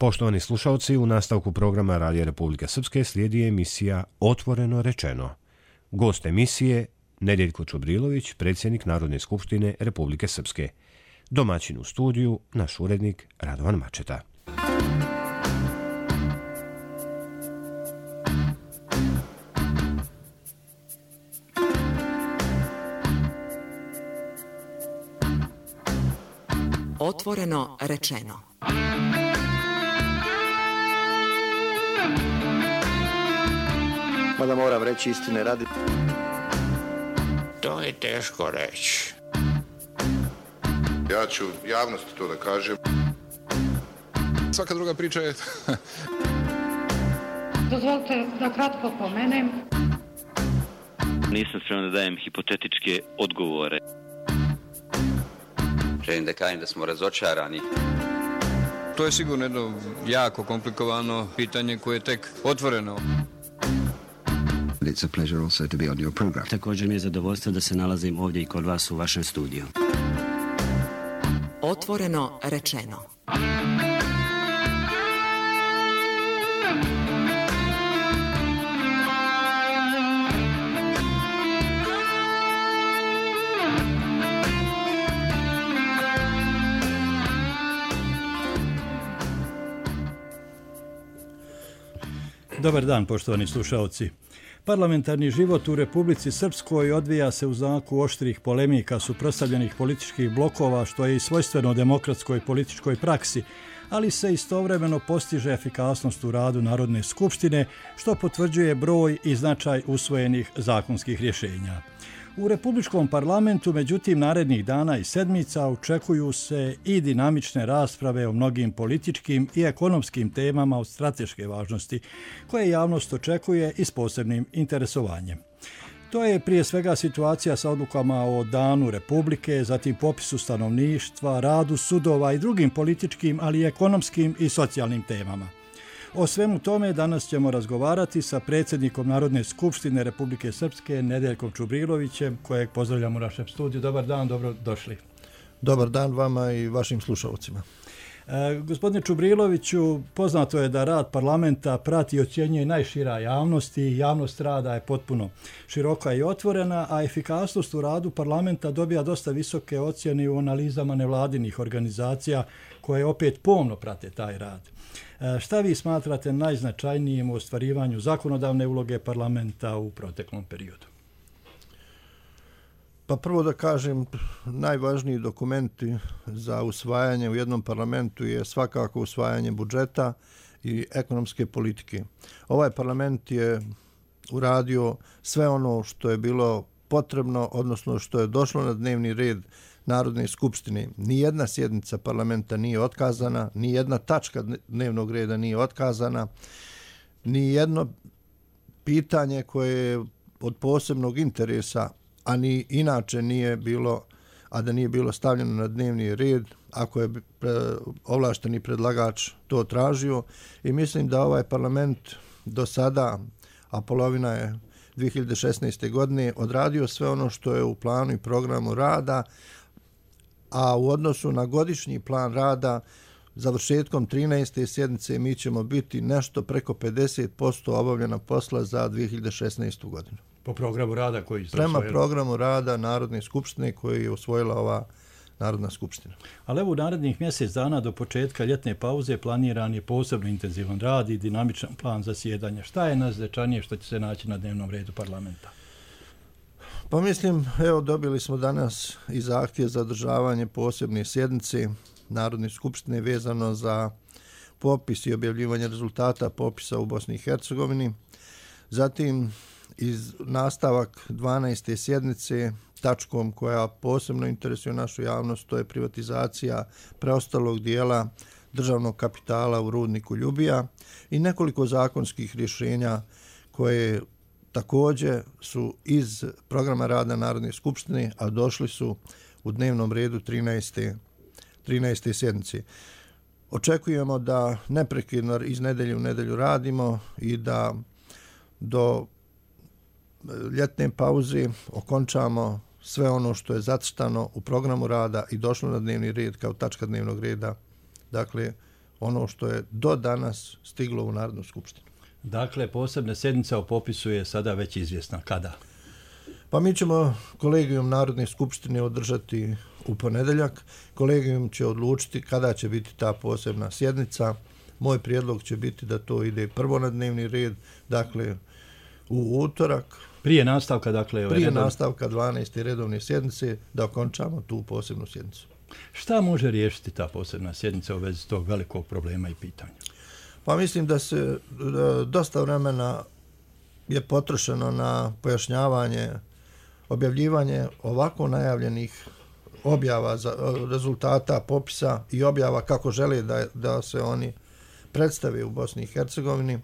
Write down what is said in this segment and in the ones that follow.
Poštovani slušalci, u nastavku programa Radija Republike Srpske slijedi emisija Otvoreno rečeno. Gost emisije Nedeljko Čubrilović, predsjednik Narodne skupštine Republike Srpske. Domaćin u studiju, naš urednik Radovan Mačeta. Otvoreno rečeno. Mada moram reći istine radi. To je teško reći. Ja ću javnosti to da kažem. Svaka druga priča je... Dozvolite da kratko pomenem. Nisam spreman da dajem hipotetičke odgovore. Želim da kažem da smo razočarani. To je sigurno jedno jako komplikovano pitanje koje je tek otvoreno. It's a pleasure also to be on your program. Također mi je zadovoljstvo da se nalazim ovdje i kod vas u vašem studiju. Otvoreno rečeno. Dobar dan, poštovani slušalci. Parlamentarni život u Republici Srpskoj odvija se u znaku oštrih polemika suprotstavljenih političkih blokova, što je i svojstveno demokratskoj političkoj praksi, ali se istovremeno postiže efikasnost u radu Narodne skupštine, što potvrđuje broj i značaj usvojenih zakonskih rješenja. U Republičkom parlamentu, međutim, narednih dana i sedmica očekuju se i dinamične rasprave o mnogim političkim i ekonomskim temama od strateške važnosti, koje javnost očekuje i s posebnim interesovanjem. To je prije svega situacija sa odlukama o Danu Republike, zatim popisu stanovništva, radu sudova i drugim političkim, ali i ekonomskim i socijalnim temama. O svemu tome danas ćemo razgovarati sa predsjednikom Narodne skupštine Republike Srpske, Nedeljkom Čubrilovićem, kojeg pozdravljam u našem studiju. Dobar dan, dobro došli. Dobar dan vama i vašim slušalcima. Gospodine Čubriloviću, poznato je da rad parlamenta prati i ocjenjuje najšira javnost i javnost rada je potpuno široka i otvorena, a efikasnost u radu parlamenta dobija dosta visoke ocjene u analizama nevladinih organizacija koje opet pomno prate taj rad. Šta vi smatrate najznačajnijim u ostvarivanju zakonodavne uloge parlamenta u proteklom periodu? Pa prvo da kažem, najvažniji dokumenti za usvajanje u jednom parlamentu je svakako usvajanje budžeta i ekonomske politike. Ovaj parlament je uradio sve ono što je bilo potrebno, odnosno što je došlo na dnevni red Narodne skupštine. Nijedna sjednica parlamenta nije otkazana, nijedna tačka dnevnog reda nije otkazana, nijedno pitanje koje je od posebnog interesa, a ni inače nije bilo, a da nije bilo stavljeno na dnevni red, ako je ovlašteni predlagač to tražio. I mislim da ovaj parlament do sada, a polovina je 2016. godine, odradio sve ono što je u planu i programu rada, a u odnosu na godišnji plan rada završetkom 13. sjednice mi ćemo biti nešto preko 50% obavljena posla za 2016. godinu. Po programu rada koji ste Prema usvojili? Programu rada Narodne skupštine koji je usvojila ova Narodna skupština. Ali evo u narednih mjesec dana do početka ljetne pauze planiran je posebno intenzivan rad i dinamičan plan zasjedanja. Šta je najznačajnije što će se naći na dnevnom redu parlamenta? Pa mislim, evo dobili smo danas i zahtjev za održavanje posebne sjednice Narodne skupštine vezano za popis i objavljivanje rezultata popisa u Bosni i Hercegovini. Zatim iz nastavak 12. sjednice tačkom koja posebno interesuje našu javnost, to je privatizacija preostalog dijela državnog kapitala u rudniku Ljubija i nekoliko zakonskih rješenja koje također su iz programa rada Narodne skupštine, a došli su u dnevnom redu 13. sjednice. Očekujemo da neprekidno iz nedelje u nedelju radimo i da do ljetne pauze okončamo sve ono što je zacrtano u programu rada i došlo na dnevni red kao tačka dnevnog reda, dakle ono što je do danas stiglo u Narodnu skupštinu. Dakle, posebna sjednica o popisu je sada već izvjesna. Kada? Pa mi ćemo kolegijum Narodne skupštine održati u ponedjeljak. Kolegijum će odlučiti kada će biti ta posebna sjednica. Moj prijedlog će biti da to ide prvo na dnevni red, dakle u utorak. Prije nastavka, dakle... Prije nastavka 12. redovne sjednice da okončamo tu posebnu sjednicu. Šta može riješiti ta posebna sjednica u vezi tog velikog problema i pitanja? Pa mislim da se dosta vremena je potrošeno na pojašnjavanje, objavljivanje ovako najavljenih objava za rezultata popisa i objava kako žele da se oni predstave u Bosni i Hercegovini.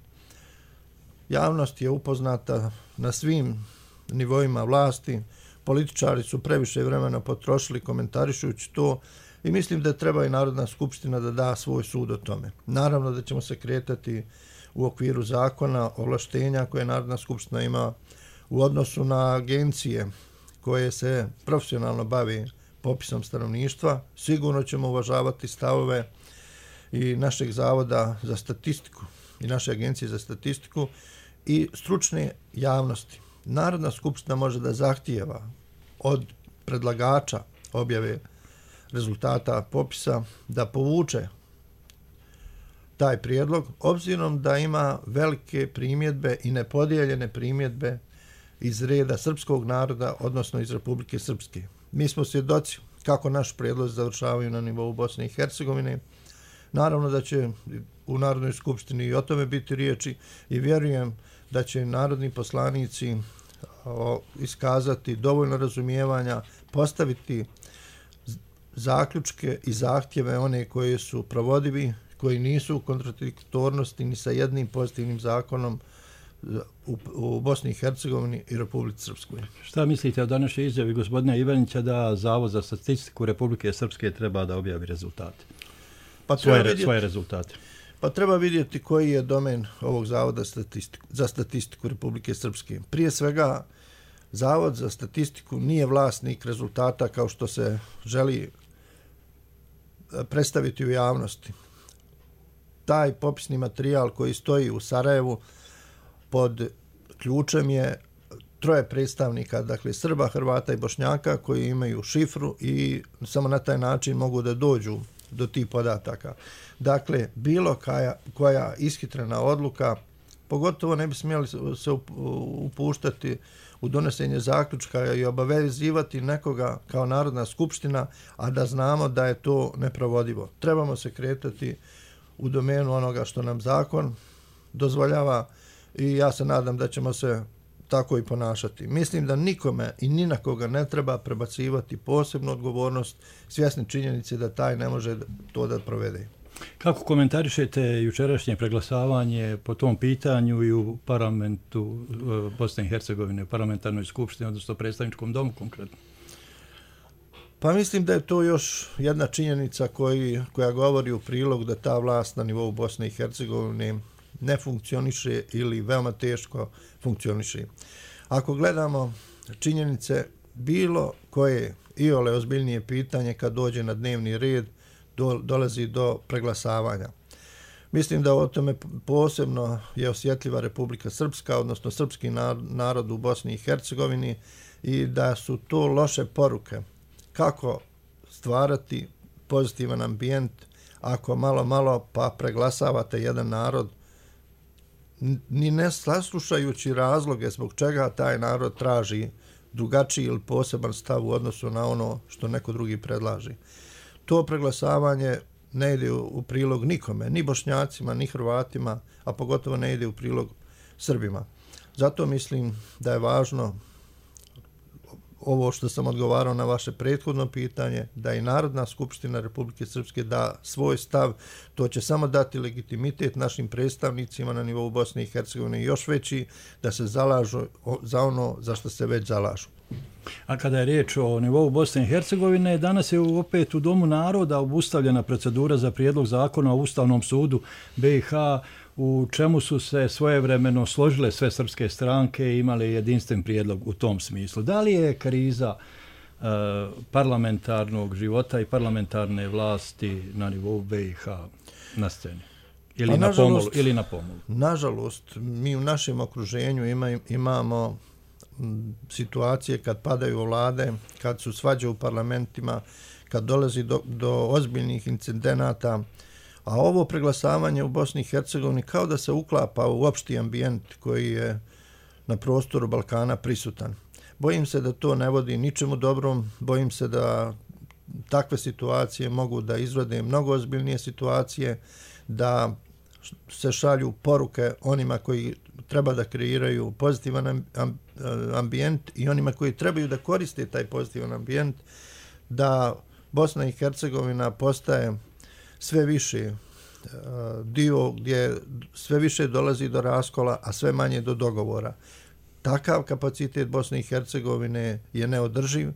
Javnost je upoznata na svim nivoima vlasti, političari su previše vremena potrošili komentarišujući to i mislim da treba i Narodna skupština da da svoj sud o tome. Naravno da ćemo se kretati u okviru zakona, ovlaštenja koje Narodna skupština ima u odnosu na agencije koje se profesionalno bave popisom stanovništva. Sigurno ćemo uvažavati stavove i našeg zavoda za statistiku i naše agencije za statistiku i stručne javnosti. Narodna skupština može da zahtijeva od predlagača objave rezultata popisa da povuče taj prijedlog, obzirom da ima velike primjedbe i nepodijeljene primjedbe iz reda srpskog naroda, odnosno iz Republike Srpske. Mi smo svjedoci kako naš prijedlog završavaju na nivou Bosne i Hercegovine. Naravno da će u Narodnoj skupštini i o tome biti riječi i vjerujem da će narodni poslanici iskazati dovoljno razumijevanja, postaviti zaključke i zahtjeve one koje su provodivi, koji nisu u kontradiktornosti ni sa jednim pozitivnim zakonom u Bosni i Hercegovini i Republici Srpskoj. Šta mislite o današnjoj izjavi gospodina Ivanića da Zavod za statistiku Republike Srpske treba da objavi rezultate? Svoje rezultate. Pa treba vidjeti koji je domen ovog Zavoda za statistiku Republike Srpske. Prije svega, Zavod za statistiku nije vlasnik rezultata kao što se želi predstaviti u javnosti. Taj popisni materijal koji stoji u Sarajevu pod ključem je 3 predstavnika, dakle Srba, Hrvata i Bošnjaka koji imaju šifru i samo na taj način mogu da dođu do tih podataka. Dakle, bilo koja ishitrena odluka, pogotovo ne bi smjeli se upuštati u donosenje zaključka i obavezivati nekoga kao Narodna skupština, a da znamo da je to neprovodivo. Trebamo se kretati u domenu onoga što nam zakon dozvoljava i ja se nadam da ćemo se tako i ponašati. Mislim da nikome i ni na koga ne treba prebacivati posebnu odgovornost, svjesni činjenice da taj ne može to da provede. Kako komentarišete jučerašnje preglasavanje po tom pitanju i u parlamentu Bosne i Hercegovine, u parlamentarnoj skupštini, odnosno predstavničkom domu konkretno? Pa mislim da je to još jedna činjenica koja govori u prilog da ta vlast na nivou Bosne i Hercegovine ne funkcioniše ili veoma teško funkcioniše. Ako gledamo činjenice, bilo koje iole ozbiljnije pitanje kad dođe na dnevni red, dolazi do preglasavanja. Mislim da o tome posebno je osjetljiva Republika Srpska, odnosno srpski narod u Bosni i Hercegovini i da su to loše poruke. Kako stvarati pozitivan ambijent ako malo pa preglasavate jedan narod, ni ne saslušajući razloge zbog čega taj narod traži drugačiji ili poseban stav u odnosu na ono što neko drugi predlaži. To preglasavanje ne ide u prilog nikome, ni Bošnjacima, ni Hrvatima, a pogotovo ne ide u prilog Srbima. Zato mislim da je važno ovo što sam odgovarao na vaše prethodno pitanje, da i Narodna skupština Republike Srpske da svoj stav, to će samo dati legitimitet našim predstavnicima na nivou Bosne i Hercegovine još veći, da se zalažu za ono za što se već zalažu. A kada je riječ o nivou Bosne i Hercegovine, danas je opet u Domu naroda obustavljena procedura za prijedlog zakona o Ustavnom sudu BiH, u čemu su se svojevremeno složile sve srpske stranke i imale jedinstven prijedlog u tom smislu. Da li je kriza parlamentarnog života i parlamentarne vlasti na nivou BiH na sceni? Ili na pomolu? Nažalost, mi u našem okruženju imamo situacije kad padaju vlade, kad su svađe u parlamentima, kad dolazi do ozbiljnih incidenata, a ovo preglasavanje u Bosni i Hercegovini kao da se uklapa u opšti ambijent koji je na prostoru Balkana prisutan. Bojim se da to ne vodi ničemu dobrom, bojim se da takve situacije mogu da izrode mnogo ozbiljnije situacije, da se šalju poruke onima koji treba da kreiraju pozitivan ambijent i onima koji trebaju da koriste taj pozitivan ambijent, da Bosna i Hercegovina postaje sve više dio gdje sve više dolazi do raskola, a sve manje do dogovora. Takav kapacitet Bosne i Hercegovine je neodrživ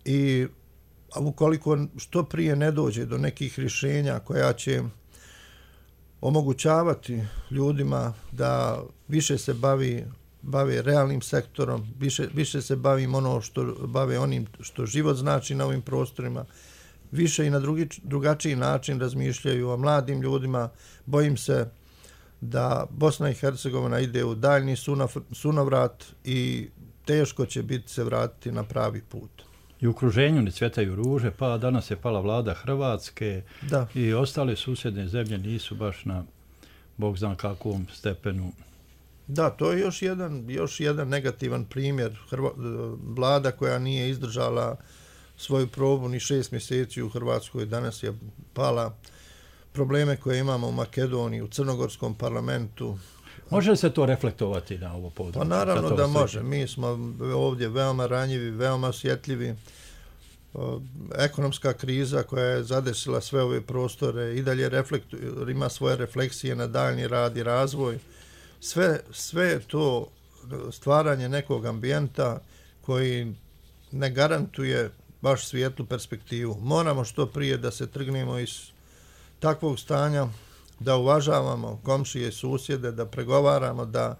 i ukoliko što prije ne dođe do nekih rješenja koja će omogućavati ljudima da više se bave realnim sektorom, više se bave onim što život znači na ovim prostorima, više i na drugačiji način razmišljaju o mladim ljudima. Bojim se da Bosna i Hercegovina ide u daljni sunovrat i teško će biti se vratiti na pravi put. I u okruženju ne cvjetaju ruže, pa danas je pala vlada Hrvatske i ostale susjedne zemlje nisu baš na bog zna kakvom stepenu. Da, to je još jedan negativan primjer. Vlada koja nije izdržala svoju probu ni 6 mjeseci u Hrvatskoj, danas je pala. Probleme koje imamo u Makedoniji, u Crnogorskom parlamentu. Može li se to reflektovati na ovo područje? Pa naravno da može. Mi smo ovdje veoma ranjivi, veoma osjetljivi. Ekonomska kriza koja je zadesila sve ove prostore i dalje ima svoje refleksije na daljnji rad i razvoj. Sve je to stvaranje nekog ambijenta koji ne garantuje baš svijetlu perspektivu. Moramo što prije da se trgnemo iz takvog stanja, da uvažavamo komšije i susjede, da pregovaramo, da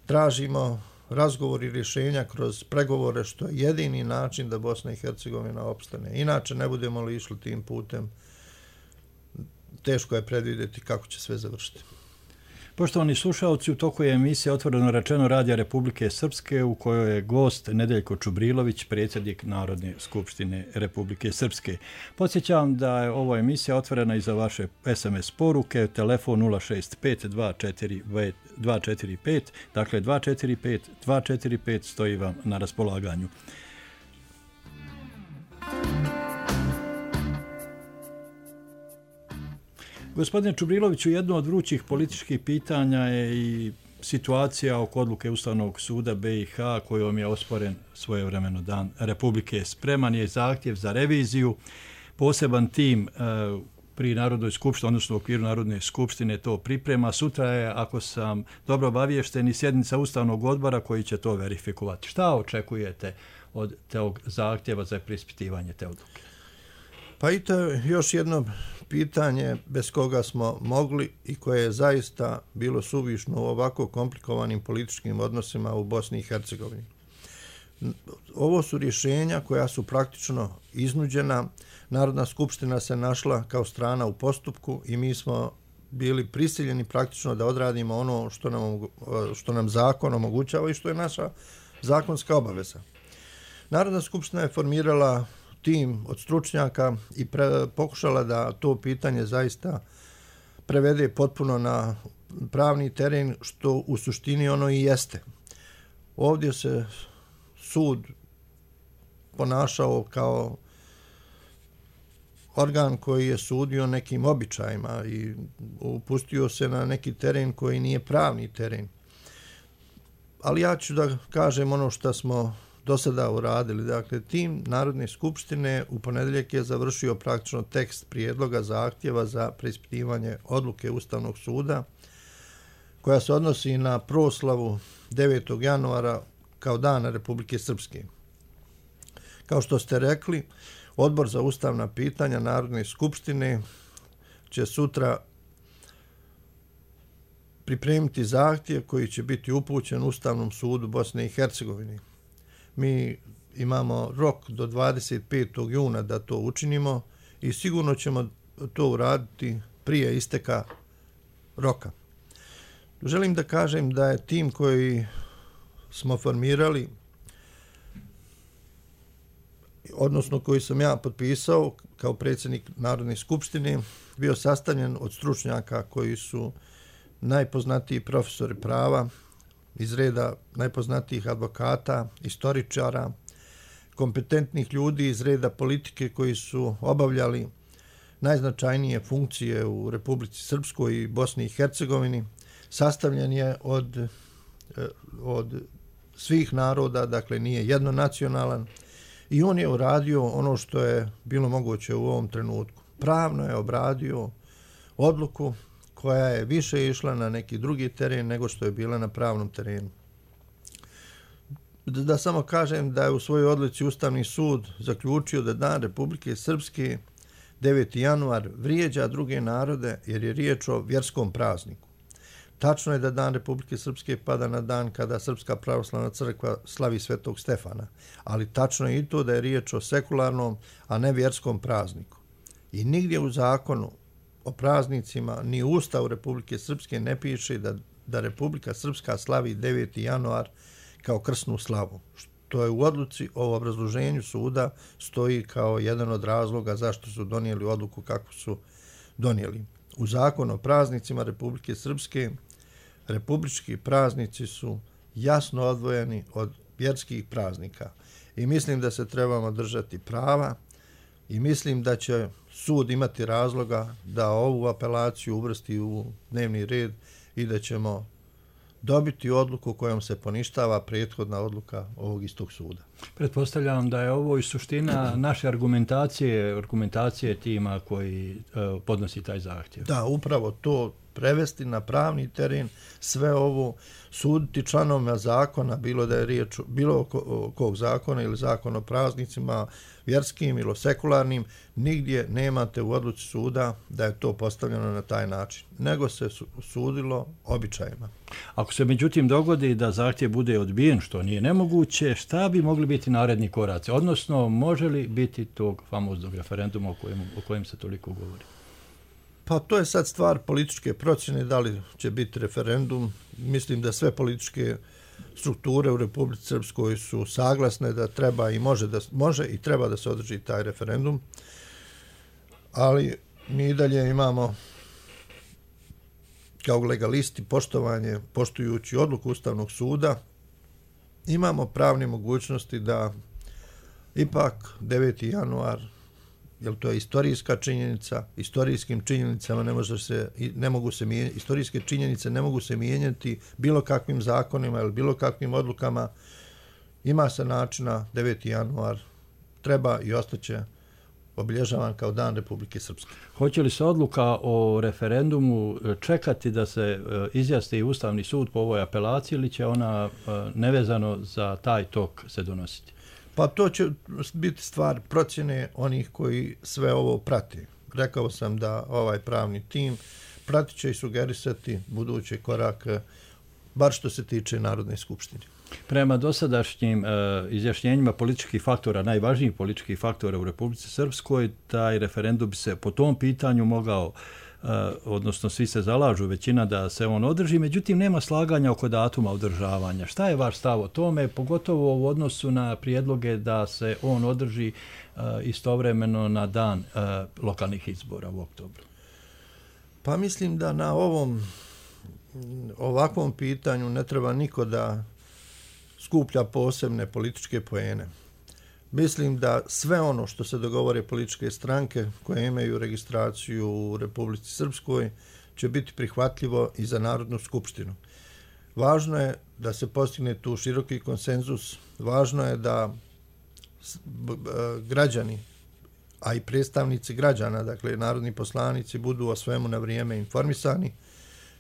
tražimo razgovor i rješenja kroz pregovore, što je jedini način da Bosna i Hercegovina opstane. Inače, ne budemo li išli tim putem, teško je predvidjeti kako će sve završiti. Poštovani slušalci, u toku je emisija Otvoreno rečeno Radija Republike Srpske u kojoj je gost Nedeljko Čubrilović, predsjednik Narodne skupštine Republike Srpske. Podsjećam da je ova emisija otvorena i za vaše SMS poruke, telefon 065 245, dakle 245 stoji vam na raspolaganju. Gospodine Čubriloviću, jedno od vrućih političkih pitanja je i situacija oko odluke Ustavnog suda BiH kojom je osporen svojevremeno Dan Republike. Spreman je zahtjev za reviziju. Poseban tim pri Narodnoj skupštini, odnosno u okviru Narodne skupštine to priprema. Sutra je, ako sam dobro obaviješten, i sjednica Ustavnog odbora koji će to verifikovati. Šta očekujete od tog zahtjeva za preispitivanje te odluke? Pa i to je još jedno pitanje bez koga smo mogli i koje je zaista bilo suvišno u ovako komplikovanim političkim odnosima u Bosni i Hercegovini. Ovo su rješenja koja su praktično iznuđena. Narodna skupština se našla kao strana u postupku i mi smo bili prisiljeni praktično da odradimo ono što nam zakon omogućava i što je naša zakonska obaveza. Narodna skupština je formirala tim od stručnjaka i pokušala da to pitanje zaista prevede potpuno na pravni teren, što u suštini ono i jeste. Ovdje se sud ponašao kao organ koji je sudio nekim običajima i upustio se na neki teren koji nije pravni teren. Ali ja ću da kažem ono što smo do sada uradili. Dakle, tim Narodne skupštine u ponedjeljak je završio praktično tekst prijedloga zahtjeva za preispitivanje odluke Ustavnog suda koja se odnosi na proslavu 9. januara kao Dana Republike Srpske. Kao što ste rekli, Odbor za ustavna pitanja Narodne skupštine će sutra pripremiti zahtjev koji će biti upućen Ustavnom sudu Bosne i Hercegovine. Mi imamo rok do 25. juna da to učinimo i sigurno ćemo to uraditi prije isteka roka. Želim da kažem da je tim koji smo formirali, odnosno koji sam ja potpisao kao predsjednik Narodne skupštine, bio sastavljen od stručnjaka koji su najpoznatiji profesori prava, iz reda najpoznatijih advokata, istoričara, kompetentnih ljudi iz reda politike koji su obavljali najznačajnije funkcije u Republici Srpskoj i Bosni i Hercegovini. Sastavljen je od svih naroda, dakle nije jednonacionalan, i on je uradio ono što je bilo moguće u ovom trenutku. Pravno je obradio odluku koja je više išla na neki drugi teren nego što je bila na pravnom terenu. Da samo kažem da je u svojoj odluci Ustavni sud zaključio da Dan Republike Srpske, 9. januar, vrijeđa druge narode jer je riječ o vjerskom prazniku. Tačno je da Dan Republike Srpske pada na dan kada Srpska pravoslavna crkva slavi Svetog Stefana, ali tačno je i to da je riječ o sekularnom, a ne vjerskom prazniku. I nigdje u zakonu o praznicima ni u Ustavu Republike Srpske ne piše da Republika Srpska slavi 9. januar kao krsnu slavu, što je u odluci o obrazloženju suda stoji kao jedan od razloga zašto su donijeli odluku kako su donijeli. U zakonu o praznicima Republike Srpske republički praznici su jasno odvojeni od vjerskih praznika i mislim da se trebamo držati prava i mislim da će sud imati razloga da ovu apelaciju uvrsti u dnevni red i da ćemo dobiti odluku kojom se poništava prethodna odluka ovog istog suda. Pretpostavljam da je ovo i suština naše argumentacije tima koji podnosi taj zahtjev. Da, upravo to, prevesti na pravni teren, sve ovo, suditi članovima zakona, bilo da je riječ bilo kog zakona ili zakon o praznicima, vjerskim ili sekularnim, nigdje nemate u odluci suda da je to postavljeno na taj način, nego se sudilo običajima. Ako se međutim dogodi da zahtjev bude odbijen, što nije nemoguće, šta bi mogli biti naredni koraci? Odnosno, može li biti tog famoznog referenduma o kojem se toliko govori? Pa to je sad stvar političke procjene, da li će biti referendum. Mislim da sve političke strukture u Republici Srpskoj su saglasne da treba i može i treba da se održi taj referendum, ali mi i dalje imamo kao legalisti poštujući odluku Ustavnog suda, imamo pravne mogućnosti da ipak 9. januar, jer to je istorijska činjenica, istorijskim činjenicama istorijske činjenice ne mogu se mijenjati bilo kakvim zakonima ili bilo kakvim odlukama. Ima se načina, 9. januar treba i ostaće obilježavan kao Dan Republike Srpske. Hoće li se odluka o referendumu čekati da se izjasni Ustavni sud po ovoj apelaciji ili će ona nevezano za taj tok se donositi? Pa to će biti stvar procjene onih koji sve ovo prati. Rekao sam da ovaj pravni tim pratit će i sugerisati buduće korake, bar što se tiče Narodne skupštine. Prema dosadašnjim izjašnjenjima političkih faktora, najvažnijih političkih faktora u Republici Srpskoj, taj referendum bi se po tom pitanju mogao, odnosno svi se zalažu, većina da se on održi, međutim nema slaganja oko datuma održavanja. Šta je vaš stav o tome, pogotovo u odnosu na prijedloge da se on održi istovremeno na dan lokalnih izbora u oktobru? Pa mislim da na ovakvom pitanju ne treba niko da skuplja posebne političke poene. Mislim da sve ono što se dogovore političke stranke koje imaju registraciju u Republici Srpskoj će biti prihvatljivo i za Narodnu skupštinu. Važno je da se postigne tu široki konsenzus, važno je da građani, a i predstavnici građana, dakle narodni poslanici, budu o svemu na vrijeme informisani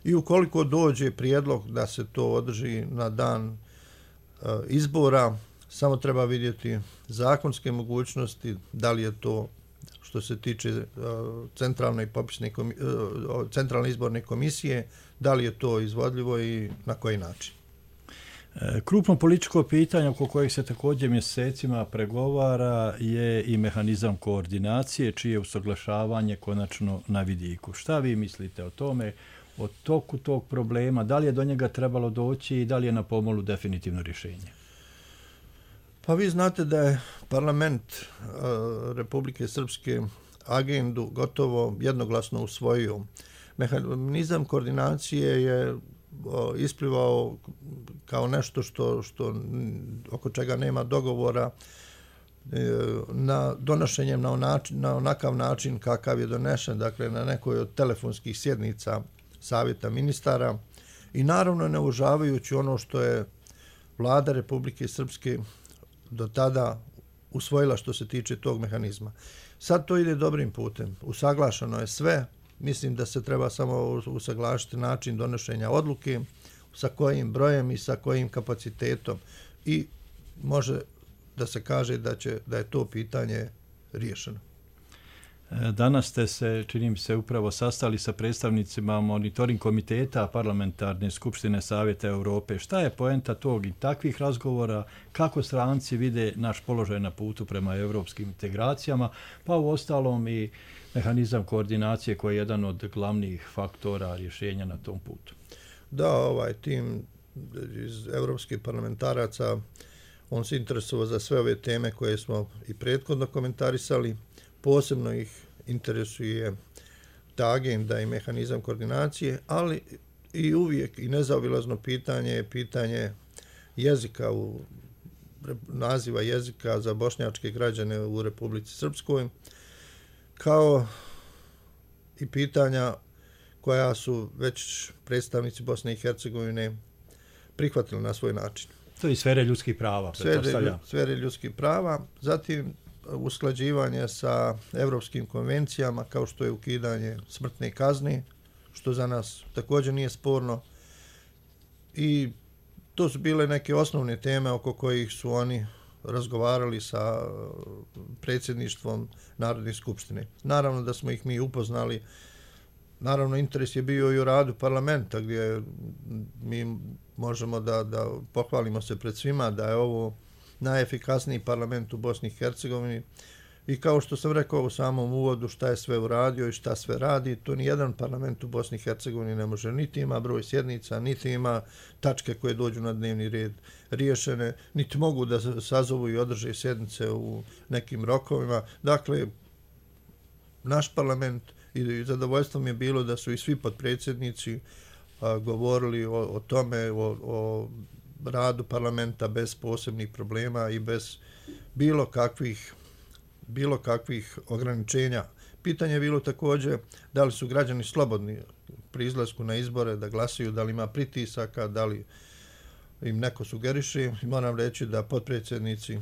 i ukoliko dođe prijedlog da se to održi na dan izbora, samo treba vidjeti zakonske mogućnosti, da li je to što se tiče centralne izborne komisije, da li je to izvodljivo i na koji način. Krupno političko pitanje oko kojeg se također mjesecima pregovara je i mehanizam koordinacije, čije usaglašavanje konačno na vidiku. Šta vi mislite o tome, o toku tog problema, da li je do njega trebalo doći i da li je na pomolu definitivno rješenje? Pa vi znate da je parlament Republike Srpske agendu gotovo jednoglasno usvojio. Mehanizam koordinacije je isplivao kao nešto što oko čega nema dogovora na donošenjem na onakav način kakav je donešen, dakle na nekoj od telefonskih sjednica Savjeta ministara i naravno ne uvažavajući ono što je vlada Republike Srpske do tada usvojila što se tiče tog mehanizma. Sad to ide dobrim putem. Usaglašeno je sve. Mislim da se treba samo usaglašiti način donošenja odluke, sa kojim brojem i sa kojim kapacitetom. I može da se kaže da je to pitanje riješeno. Danas ste se, čini mi se, upravo sastali sa predstavnicima monitoring komiteta Parlamentarne skupštine Savjeta Europe. Šta je poenta tog i takvih razgovora? Kako stranci vide naš položaj na putu prema europskim integracijama? Pa u ostalom i mehanizam koordinacije koji je jedan od glavnih faktora rješenja na tom putu. Da, ovaj tim iz evropskih parlamentaraca, on se interesovao za sve ove teme koje smo i prethodno komentarisali. Posebno ih interesuje ta agenda i mehanizam koordinacije, ali i uvijek i nezaobilazno pitanje je pitanje jezika, naziva jezika za bošnjačke građane u Republici Srpskoj, kao i pitanja koja su već predstavnici Bosne i Hercegovine prihvatili na svoj način. To je sfere ljudskih prava, pretpostavljam. Sfere ljudskih prava, zatim usklađivanje sa evropskim konvencijama kao što je ukidanje smrtne kazne, što za nas također nije sporno. I to su bile neke osnovne teme oko kojih su oni razgovarali sa predsjedništvom Narodne skupštine. Naravno da smo ih mi upoznali. Naravno, interes je bio i u radu parlamenta, gdje mi možemo da pohvalimo se pred svima da je ovo najefikasniji parlament u Bosni i Hercegovini. I kao što sam rekao u samom uvodu šta je sve uradio i šta sve radi, to nijedan parlament u Bosni i Hercegovini ne može, niti ima broj sjednica, niti ima tačke koje dođu na dnevni red riješene, niti mogu da sazovu i održe sjednice u nekim rokovima. Dakle, naš parlament, i zadovoljstvo mi je bilo da su i svi potpredsjednici govorili o tome, o radu parlamenta bez posebnih problema i bez bilo kakvih ograničenja. Pitanje je bilo također da li su građani slobodni pri izlasku na izbore da glasaju, da li ima pritisaka, da li im neko sugeriše. Moram reći da potpredsjednici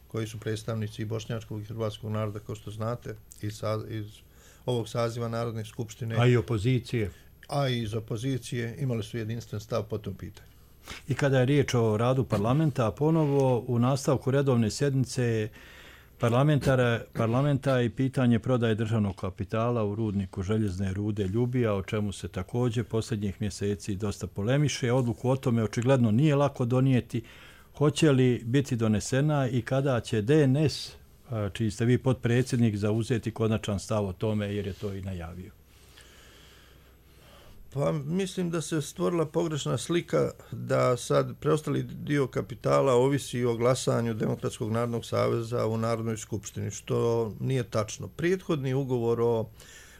koji su predstavnici i bošnjačkog i hrvatskog naroda, kao što znate, iz ovog saziva Narodne skupštine, a i opozicije, a i iz opozicije, imali su jedinstven stav po tom pitanju. I kada je riječ o radu parlamenta, ponovo u nastavku redovne sjednice parlamenta i pitanje prodaje državnog kapitala u rudniku željezne rude Ljubija, o čemu se također posljednjih mjeseci dosta polemiše. Odluku o tome očigledno nije lako donijeti. Hoće li biti donesena i kada će DNS, čiji ste vi potpredsjednik, zauzeti konačan stav o tome, jer je to i najavio? Pa mislim da se stvorila pogrešna slika da sad preostali dio kapitala ovisi o glasanju Demokratskog narodnog saveza u Narodnoj skupštini, što nije tačno. Prethodni ugovor o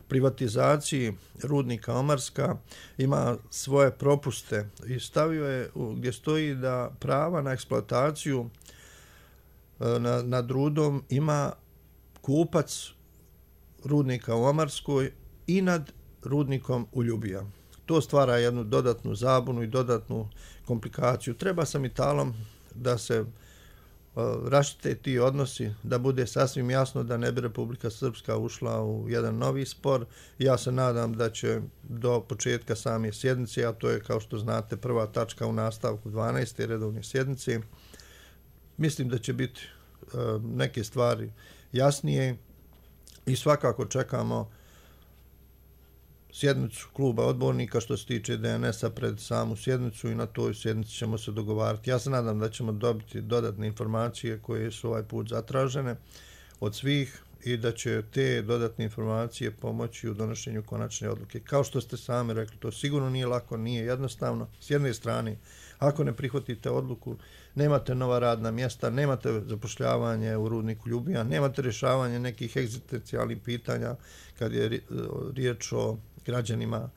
privatizaciji rudnika Omarska ima svoje propuste i stavio je gdje stoji da prava na eksploataciju nad rudom ima kupac rudnika u Omarskoj i nad rudnikom u Ljubija. To stvara jednu dodatnu zabunu i dodatnu komplikaciju. Treba sa metalom da se raštite ti odnosi, da bude sasvim jasno da ne bi Republika Srpska ušla u jedan novi spor. Ja se nadam da će do početka same sjednice, a to je, kao što znate, prva tačka u nastavku 12. redovne sjednice, mislim da će biti neke stvari jasnije i svakako čekamo sjednicu kluba odbornika što se tiče DNS-a pred samu sjednicu i na toj sjednici ćemo se dogovarati. Ja se nadam da ćemo dobiti dodatne informacije koje su ovaj put zatražene od svih i da će te dodatne informacije pomoći u donošenju konačne odluke. Kao što ste sami rekli, to sigurno nije lako, nije jednostavno. S jedne strane, ako ne prihvatite odluku, nemate nova radna mjesta, nemate zapošljavanje u rudniku Ljubija, nemate rješavanje nekih egzistencijalnih pitanja kad je riječ o građanima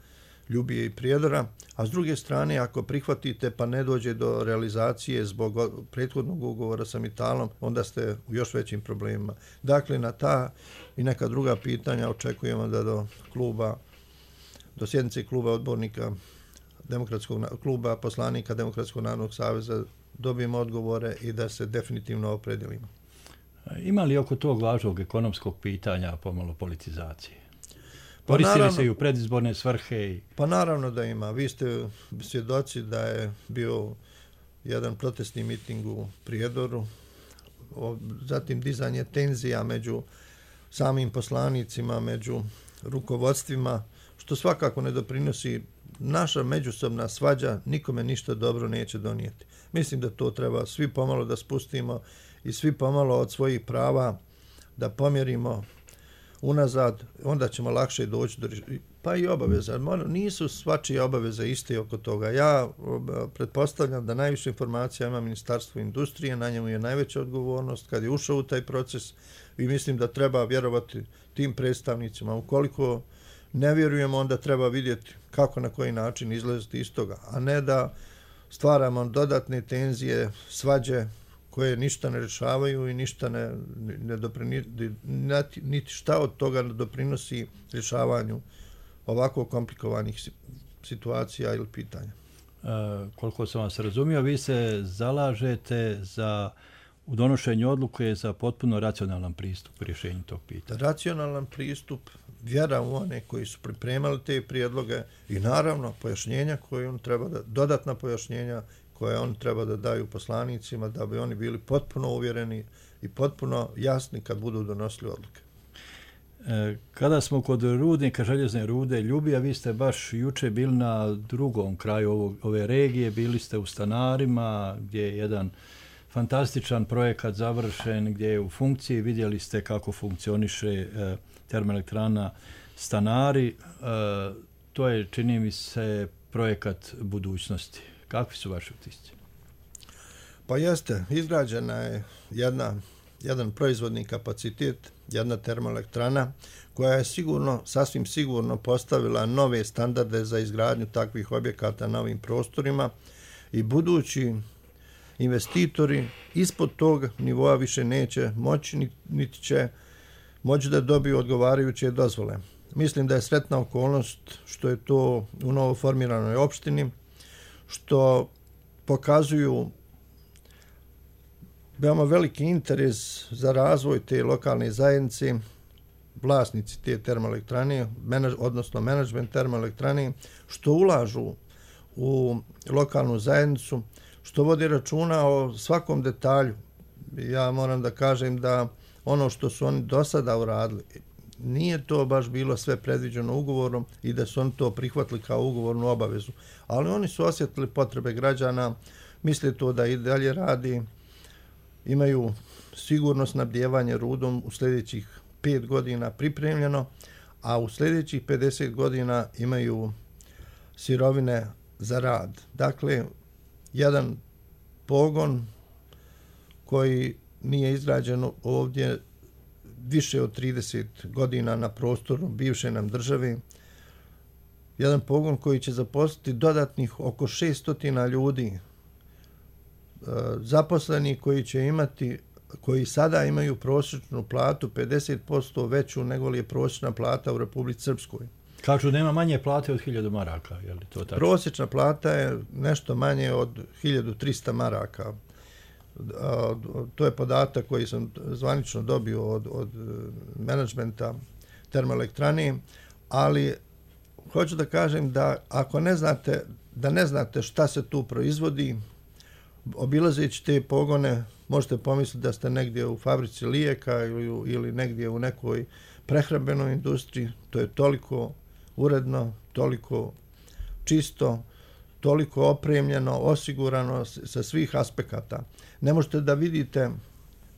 Ljubije i Prijedora, a s druge strane, ako prihvatite pa ne dođe do realizacije zbog prethodnog ugovora sa Mitalom, onda ste u još većim problemima. Dakle, na ta i neka druga pitanja očekujemo da do sjednice kluba odbornika kluba poslanika Demokratskog narodnog saveza dobijemo odgovore i da se definitivno opredijelimo. Ima li oko tog važnog ekonomskog pitanja pomalo politizacije? Koristili se i u predizborne svrhe? Pa naravno da ima. Vi ste svjedoci da je bio jedan protestni miting u Prijedoru, zatim dizanje tenzija među samim poslanicima, među rukovodstvima, što svakako ne doprinosi. Naša međusobna svađa nikome ništa dobro neće donijeti. Mislim da to treba svi pomalo da spustimo i svi pomalo od svojih prava da pomjerimo unazad, onda ćemo lakše doći do pa i obaveza. Nisu svačije obaveze iste oko toga. Ja pretpostavljam da najviše informacija ima Ministarstvo industrije, na njemu je najveća odgovornost kad je ušao u taj proces i mislim da treba vjerovati tim predstavnicima. Ukoliko ne vjerujemo, onda treba vidjeti kako na koji način izlaziti iz toga, a ne da stvaramo dodatne tenzije, svađe koje ništa ne rješavaju i ništa niti šta od toga ne doprinosi rješavanju ovako komplikovanih situacija ili pitanja. Koliko sam vas razumio, vi se zalažete u donošenju odluke za potpuno racionalan pristup u rješenju tog pitanja. Racionalan pristup, vjera u one koji su pripremali te prijedloge i naravno pojašnjenja koje on treba dodatna pojašnjenja koje on treba da daju poslanicima da bi oni bili potpuno uvjereni i potpuno jasni kad budu donosili odluke. Kada smo kod rudnika željezne rude Ljubija, vi ste baš juče bili na drugom kraju ove regije, bili ste u Stanarima gdje je jedan fantastičan projekat završen, gdje je u funkciji, vidjeli ste kako funkcioniše termoelektrana Stanari. To je, čini mi se, projekat budućnosti. Kakvi su vaši utisci? Pa jeste, izgrađena je jedan proizvodni kapacitet, jedna termoelektrana koja je sasvim sigurno postavila nove standarde za izgradnju takvih objekata na ovim prostorima i budući investitori ispod tog nivoa više neće moći, niti će moći da dobiju odgovarajuće dozvole. Mislim da je sretna okolnost što je to u novo formiranoj opštini, što pokazuju veoma veliki interes za razvoj te lokalne zajednice, vlasnici te termoelektrane, odnosno menadžment termoelektrane, što ulažu u lokalnu zajednicu, što vodi računa o svakom detalju. Ja moram da kažem da ono što su oni do sada uradili, nije to baš bilo sve predviđeno ugovorom i da su oni to prihvatili kao ugovornu obavezu. Ali oni su osjetili potrebe građana, misle to da i dalje radi, imaju sigurno snabdijevanje rudom u sljedećih 5 godina pripremljeno, a u sljedećih 50 godina imaju sirovine za rad. Dakle, jedan pogon koji nije izgrađen ovdje više od 30 godina na prostoru bivše nam države, jedan pogon koji će zaposliti dodatnih oko 600 ljudi, zaposleni koji sada imaju prosječnu platu 50% veću nego li je prosječna plata u Republici Srpskoj. Kažu nema manje plate od 1000 maraka, je li to tako? Prosječna plata je nešto manje od 1300 maraka. To je podatak koji sam zvanično dobio od menadžmenta termoelektrane, ali hoću da kažem da ako ne znate šta se tu proizvodi, obilazeći te pogone možete pomisliti da ste negdje u fabrici lijeka ili negdje u nekoj prehrambenoj industriji. To je toliko uredno, toliko čisto, toliko opremljeno, osigurano sa svih aspekata. Ne možete da vidite,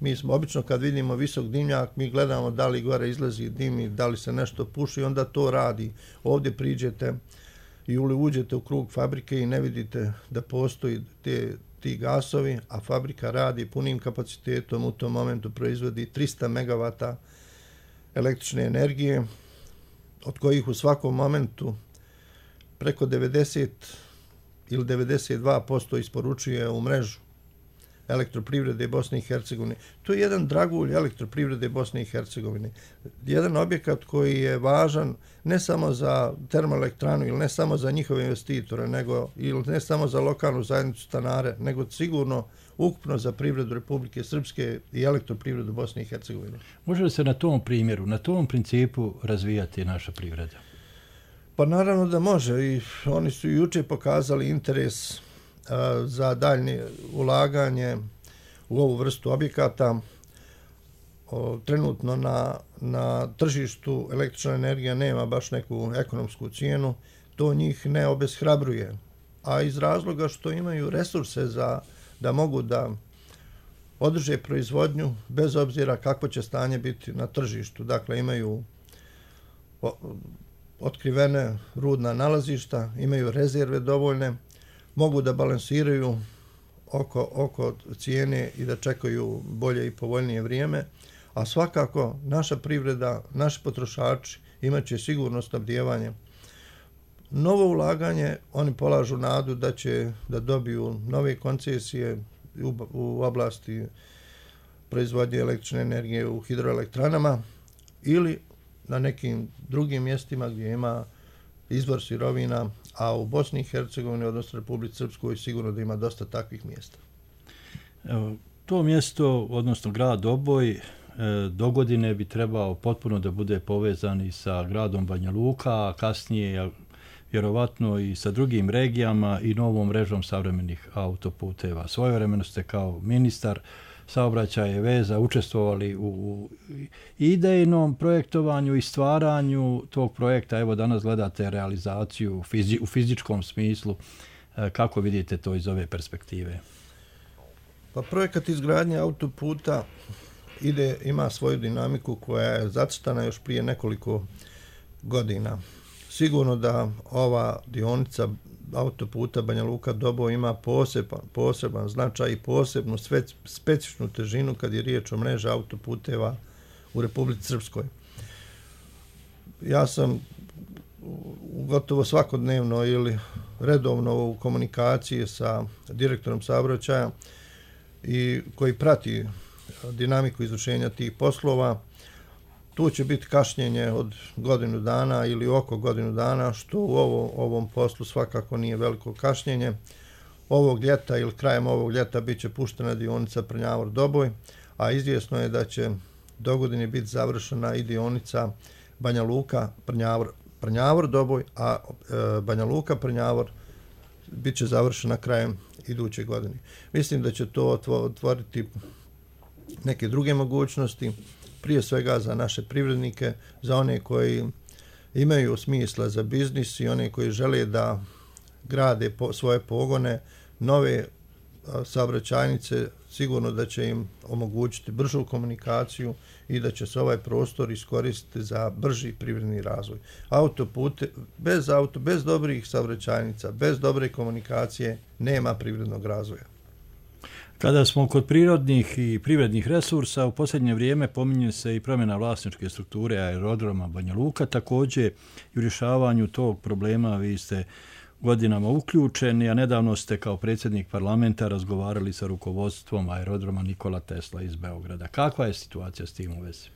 mi smo obično kad vidimo visok dimnjak, mi gledamo da li gore izlazi dim i da li se nešto puši, onda to radi. Ovdje priđete i uđete u krug fabrike i ne vidite da postoji ti gasovi, a fabrika radi punim kapacitetom, u tom momentu proizvodi 300 megavata električne energije, od kojih u svakom momentu preko 90 ili 92% isporučuje u mrežu elektroprivrede Bosne i Hercegovine. To je jedan dragulj elektroprivrede Bosne i Hercegovine. Jedan objekat koji je važan ne samo za termoelektranu ili ne samo za njihove investitore, ili ne samo za lokalnu zajednicu stanare, nego sigurno ukupno za privredu Republike Srpske i elektroprivredu Bosne i Hercegovine. Može li se na tom primjeru, na tom principu razvijati naša privreda? Pa naravno da može i oni su juče pokazali interes za daljnje ulaganje u ovu vrstu objekata. Trenutno na tržištu električna energija nema baš neku ekonomsku cijenu, to njih ne obeshrabruje, a iz razloga što imaju resurse da mogu da održe proizvodnju bez obzira kako će stanje biti na tržištu. Dakle, imaju otkrivene rudna nalazišta, imaju rezerve dovoljne, mogu da balansiraju oko cijene i da čekaju bolje i povoljnije vrijeme, a svakako naša privreda, naši potrošači imat će sigurno snabdijevanje. Novo ulaganje, oni polažu nadu da će da dobiju nove koncesije u oblasti proizvodnje električne energije u hidroelektranama ili na nekim drugim mjestima gdje ima izvor sirovina, a u Bosni i Hercegovini, odnosno Republici Srpskoj, sigurno da ima dosta takvih mjesta. To mjesto, odnosno grad Doboj, dogodine bi trebao potpuno da bude povezan i sa gradom Banja Luka, a kasnije vjerovatno i sa drugim regijama i novom mrežom savremenih autoputeva. Svojevremeno ste kao ministar saobraćaja i veza učestvovali u idejnom projektovanju i stvaranju tog projekta. Evo danas gledate realizaciju u fizičkom smislu. Kako vidite to iz ove perspektive? Pa projekat izgradnje autoputa ima svoju dinamiku koja je zacrtana još prije nekoliko godina. Sigurno da ova dionica autoputa Banja Luka-Doboj ima poseban značaj i posebnu specifičnu težinu kad je riječ o mreži autoputeva u Republici Srpskoj. Ja sam gotovo svakodnevno ili redovno u komunikaciji sa direktorom saobraćaja i koji prati dinamiku izvršenja tih poslova. Tu će biti kašnjenje od godinu dana ili oko godinu dana, što u ovom poslu svakako nije veliko kašnjenje. Ovog ljeta ili krajem ovog ljeta bit će puštena dionica Prnjavor-Doboj, a izvjesno je da će dogodine biti završena i dionica Banja Luka-Prnjavor-Doboj, a Banja Luka-Prnjavor bit će završena krajem iduće godine. Mislim da će to otvoriti neke druge mogućnosti, prije svega za naše privrednike, za one koji imaju smisla za biznis i one koji žele da grade svoje pogone, nove saobraćajnice, sigurno da će im omogućiti bržu komunikaciju i da će se ovaj prostor iskoristiti za brži privredni razvoj. Autopute, bez dobrih saobraćajnica, bez dobre komunikacije nema privrednog razvoja. Kada smo kod prirodnih i privrednih resursa, u posljednje vrijeme pominje se i promjena vlasničke strukture aerodroma Banja Luka. Također i u rješavanju tog problema vi ste godinama uključeni, a nedavno ste kao predsjednik parlamenta razgovarali sa rukovodstvom aerodroma Nikola Tesla iz Beograda. Kakva je situacija s tim u vezi?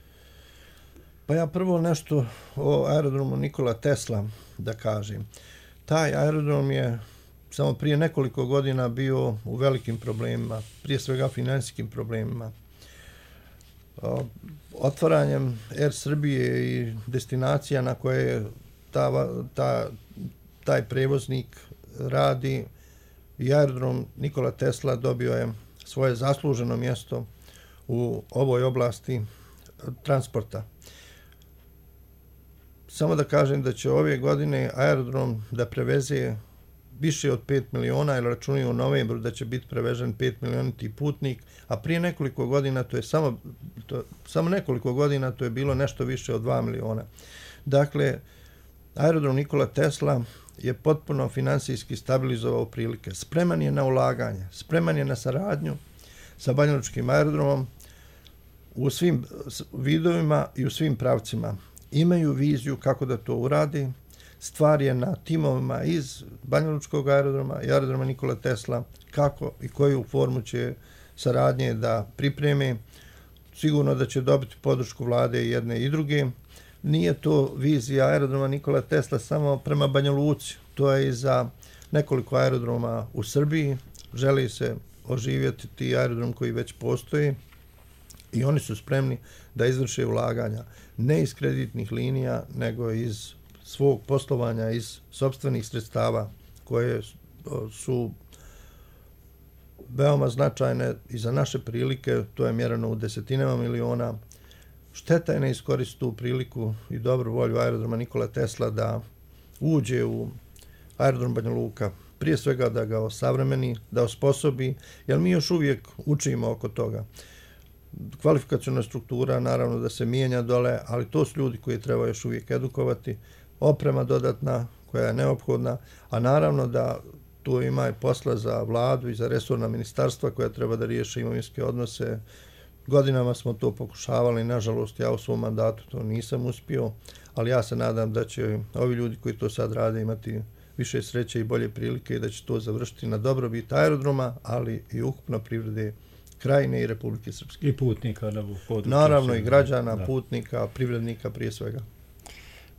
Pa ja prvo nešto o aerodromu Nikola Tesla da kažem. Taj aerodrom je samo prije nekoliko godina bio u velikim problemima, prije svega financijskim problemima. Otvaranjem Air Srbije i destinacija na koje taj prevoznik radi, i aerodrom Nikola Tesla dobio je svoje zasluženo mjesto u ovoj oblasti transporta. samo da kažem da će ove godine aerodrom da preveze više od 5 miliona, jer računaju u novembru da će biti prevežen 5 milioniti putnik, a prije nekoliko godina, to je samo nekoliko godina, to je bilo nešto više od 2 miliona. Dakle, aerodrom Nikola Tesla je potpuno finansijski stabilizovao prilike. Spreman je na ulaganje, spreman je na saradnju sa banjalučkim aerodromom u svim vidovima i u svim pravcima. Imaju viziju kako da to uradi. Stvar je na timovima iz banjalučkog aerodroma i aerodroma Nikola Tesla kako i koju formu će saradnje da pripreme. Sigurno da će dobiti podršku vlade jedne i druge. Nije to vizija aerodroma Nikola Tesla samo prema Banja Luci. To je i za nekoliko aerodroma u Srbiji. Želi se oživjeti ti aerodrom koji već postoji i oni su spremni da izvrše ulaganja ne iz kreditnih linija, nego iz svog poslovanja, iz sopstvenih sredstava koje su veoma značajne i za naše prilike. To je mjereno u desetinama miliona. Šteta je ne iskoristiti tu priliku i dobru volju aerodroma Nikola Tesla da uđe u aerodrom Banja Luka. Prije svega da ga osavremeni, da osposobi, jer mi još uvijek učimo oko toga. Kvalifikacijona struktura naravno da se mijenja dole, ali to su ljudi koji treba još uvijek edukovati. Oprema dodatna koja je neophodna, a naravno da tu ima i posla za vladu i za resorna ministarstva koja treba da riješe imovinske odnose. Godinama smo to pokušavali, nažalost ja u svom mandatu to nisam uspio, ali ja se nadam da će ovi ljudi koji to sad rade imati više sreće i bolje prilike i da će to završiti na dobrobit aerodroma, ali i ukupno privrede Krajine i Republike Srpske. I putnika na području. Naravno i građana, putnika, privrednika prije svega.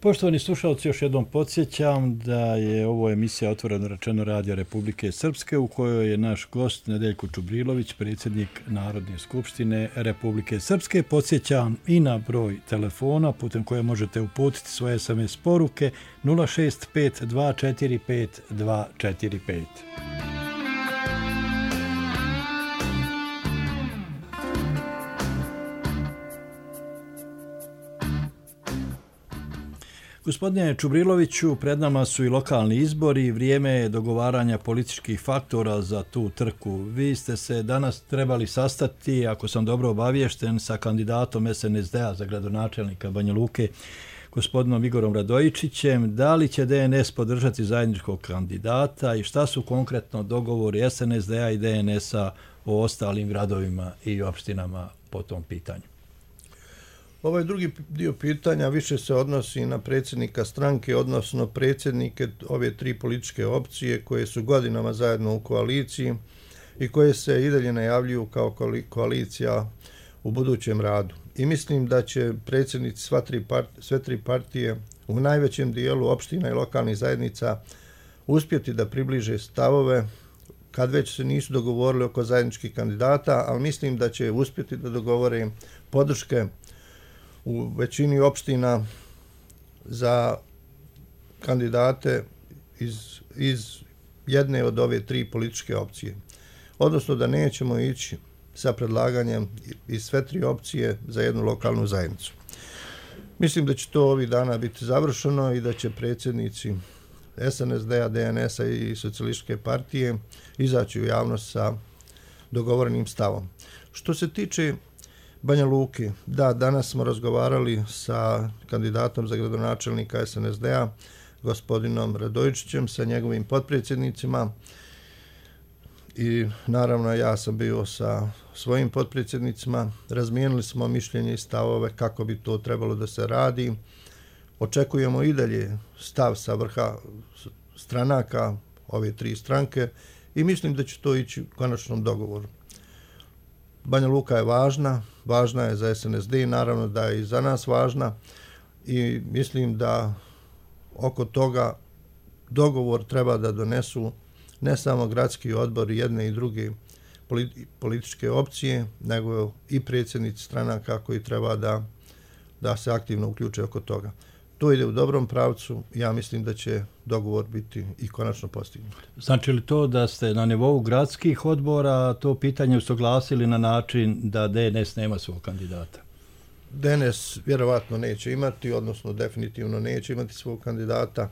Poštovani slušalci, još jednom podsjećam da je ovo emisija Otvoreno rečeno Radio Republike Srpske u kojoj je naš gost Nedeljko Čubrilović, predsjednik Narodne skupštine Republike Srpske. Podsjećam i na broj telefona putem koje možete uputiti svoje SMS poruke 065 245 245. Gospodine Čubriloviću, pred nama su i lokalni izbori i vrijeme je dogovaranja političkih faktora za tu trku. Vi ste se danas trebali sastati, ako sam dobro obaviješten, sa kandidatom SNSD-a za gradonačelnika Banja Luke, gospodinom Igorom Radojičićem. Da li će DNS podržati zajedničkog kandidata i šta su konkretno dogovori SNSD-a i DNS-a o ostalim gradovima i opštinama po tom pitanju? Ovaj drugi dio pitanja više se odnosi na predsjednika stranke, odnosno predsjednike ove tri političke opcije koje su godinama zajedno u koaliciji i koje se i dalje najavljuju kao koalicija u budućem radu. I mislim da će predsjednici sve tri partije u najvećem dijelu opština i lokalnih zajednica uspjeti da približe stavove kad već se nisu dogovorili oko zajedničkih kandidata, ali mislim da će uspjeti da dogovore podrške u većini opština za kandidate iz jedne od ove tri političke opcije. Odnosno da nećemo ići sa predlaganjem iz sve tri opcije za jednu lokalnu zajednicu. Mislim da će to ovih dana biti završeno i da će predsjednici SNSD-a, DNS-a i Socijalističke partije izaći u javnost sa dogovorenim stavom. Što se tiče Banja Luke, da, danas smo razgovarali sa kandidatom za gradonačelnika SNSD-a, gospodinom Radojičićem, sa njegovim potpredsjednicima i naravno ja sam bio sa svojim potpredsjednicima. Razmijenili smo mišljenje i stavove kako bi to trebalo da se radi. Očekujemo i dalje stav sa vrha stranaka, ove tri stranke, i mislim da će to ići u konačnom dogovoru. Banja Luka je važna je za SNSD, naravno da je i za nas važna i mislim da oko toga dogovor treba da donesu ne samo gradski odbor jedne i druge političke opcije, nego i predsjednici stranaka koji treba da se aktivno uključe oko toga. To ide u dobrom pravcu, ja mislim da će dogovor biti i konačno postignut. Znači li to da ste na nivou gradskih odbora to pitanje usaglasili na način da DNS nema svog kandidata? DNS vjerovatno neće imati, odnosno definitivno neće imati svog kandidata,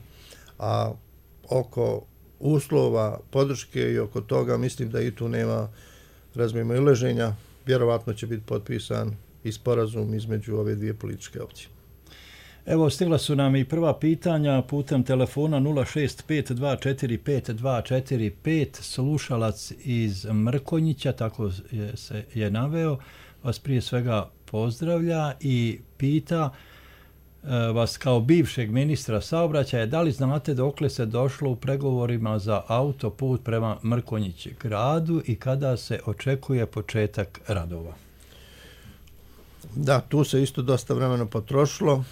a oko uslova podrške i oko toga mislim da i tu nema razmimoilaženja. Vjerovatno će biti potpisan i sporazum između ove dvije političke opcije. Evo, stigla su nam i prva pitanja putem telefona 065245245. Slušalac iz Mrkonjića, tako se je naveo, vas prije svega pozdravlja i pita vas kao bivšeg ministra saobraćaja, da li znate dokle se došlo u pregovorima za autoput prema Mrkonjić gradu i kada se očekuje početak radova? Da, tu se isto dosta vremena potrošilo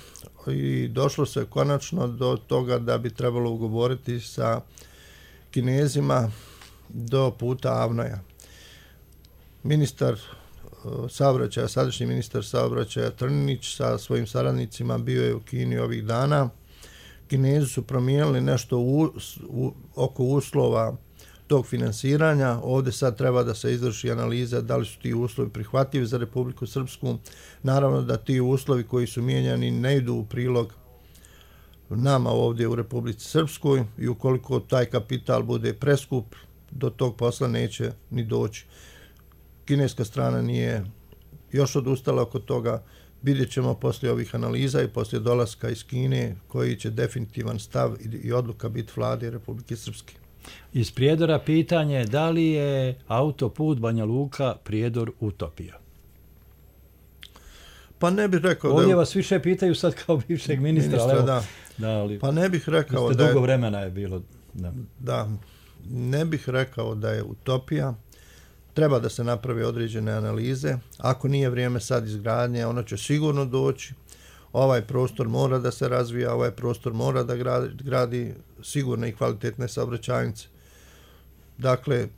i došlo se konačno do toga da bi trebalo ugovoriti sa Kinezima do puta Avnoja. Ministar saobraćaja, sadašnji ministar saobraćaja Trninić sa svojim saradnicima bio je u Kini ovih dana. Kinezi su promijenili nešto oko uslova tog finansiranja. Ovdje sad treba da se izvrši analiza da li su ti uslovi prihvatljivi za Republiku Srpsku. Naravno da ti uslovi koji su mijenjani ne idu u prilog nama ovdje u Republici Srpskoj i ukoliko taj kapital bude preskup, do tog posla neće ni doći. Kineska strana nije još odustala oko toga. Vidjet ćemo poslije ovih analiza i poslije dolaska iz Kine koji će definitivan stav i odluka biti vlade Republike Srpske. Iz Prijedora pitanje da li je autoput Banja Luka Prijedor utopija? Pa ne bih rekao ovdje vas više pitaju sad kao bivšeg ministra da. Ali, pa ne bih rekao da je dugo vremena je bilo. Da, ne bih rekao da je utopija. Treba da se napravi određene analize. Ako nije vrijeme sad izgradnje, ono će sigurno doći. Ovaj prostor mora da se razvija, ovaj prostor mora da gradi sigurne i kvalitetne saobraćajnice. Dakle,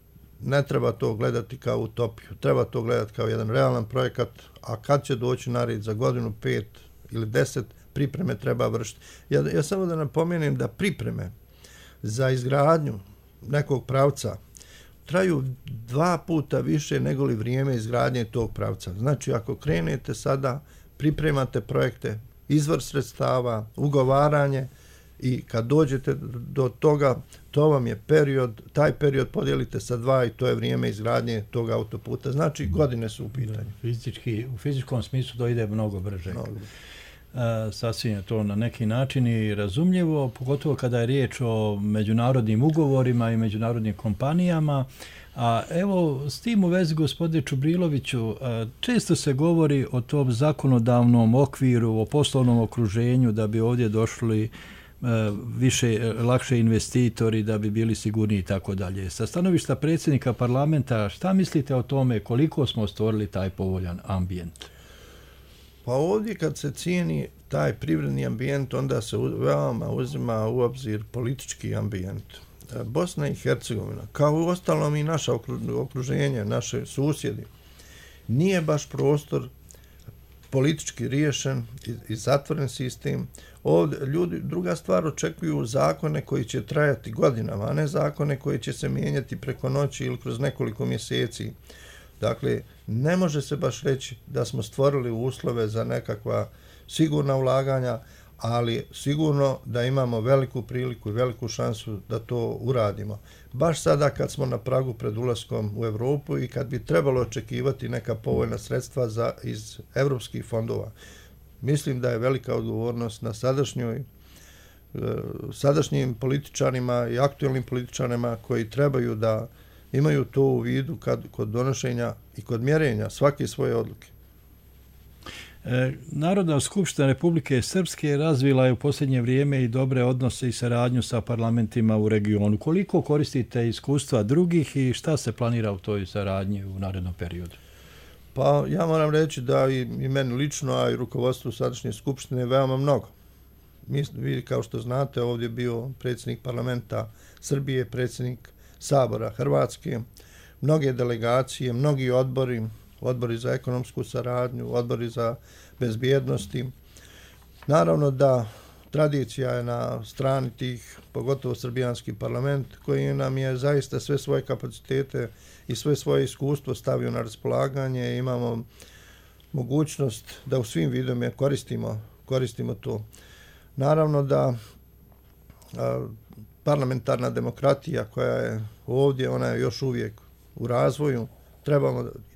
ne treba to gledati kao utopiju. Treba to gledati kao jedan realan projekat, a kad će doći na red za godinu, 5 ili 10, pripreme treba vršiti. Ja samo da napomenem da pripreme za izgradnju nekog pravca traju 2 puta više nego li vrijeme izgradnje tog pravca. Znači, ako krenete sada, pripremate projekte, izvor sredstava, ugovaranje i kad dođete do toga, to vam je period, taj period podijelite sa 2 i to je vrijeme izgradnje tog autoputa. Znači, godine su u pitanju. U fizičkom smislu to ide mnogo brže. Sasvim je to na neki način i razumljivo, pogotovo kada je riječ o međunarodnim ugovorima i međunarodnim kompanijama. A evo, s tim u vezi, gospodine Čubriloviću, često se govori o tom zakonodavnom okviru, o poslovnom okruženju da bi ovdje došli lakše investitori, da bi bili sigurniji i tako dalje. Sa stanovišta predsjednika parlamenta, šta mislite o tome koliko smo stvorili taj povoljan ambijent? Pa ovdje kad se cijeni taj privredni ambijent, onda se veoma uzima u obzir politički ambijent. Bosna i Hercegovina, kao u ostalom i naše okruženje, naše susjedi, nije baš prostor politički riješen i zatvoren sistem. Ovdje ljudi, druga stvar, očekuju zakone koji će trajati godinama, a ne zakone koji će se mijenjati preko noći ili kroz nekoliko mjeseci. Dakle, ne može se baš reći da smo stvorili uslove za nekakva sigurna ulaganja, ali sigurno da imamo veliku priliku i veliku šansu da to uradimo. Baš sada kad smo na pragu pred ulaskom u Europu i kad bi trebalo očekivati neka povoljna sredstva iz evropskih fondova. Mislim da je velika odgovornost na sadašnjim političarima i aktualnim političarima koji trebaju da imaju to u vidu kod donošenja i kod mjerenja svake svoje odluke. Narodna skupština Republike Srpske razvila je u posljednje vrijeme i dobre odnose i saradnju sa parlamentima u regionu. Koliko koristite iskustva drugih i šta se planira u toj saradnji u narednom periodu? Pa ja moram reći da i meni lično, a i rukovodstvu sadašnje skupštine veoma mnogo. Vi kao što znate, ovdje je bio predsjednik parlamenta Srbije, predsjednik Sabora Hrvatske, mnoge delegacije, mnogi odbori za ekonomsku saradnju, odbori za bezbjednosti. Naravno da tradicija je na strani tih, pogotovo srbijanski parlament, koji nam je zaista sve svoje kapacitete i sve svoje iskustvo stavio na raspolaganje. Imamo mogućnost da u svim vidovima koristimo to. Naravno da parlamentarna demokratija koja je ovdje, ona je još uvijek u razvoju,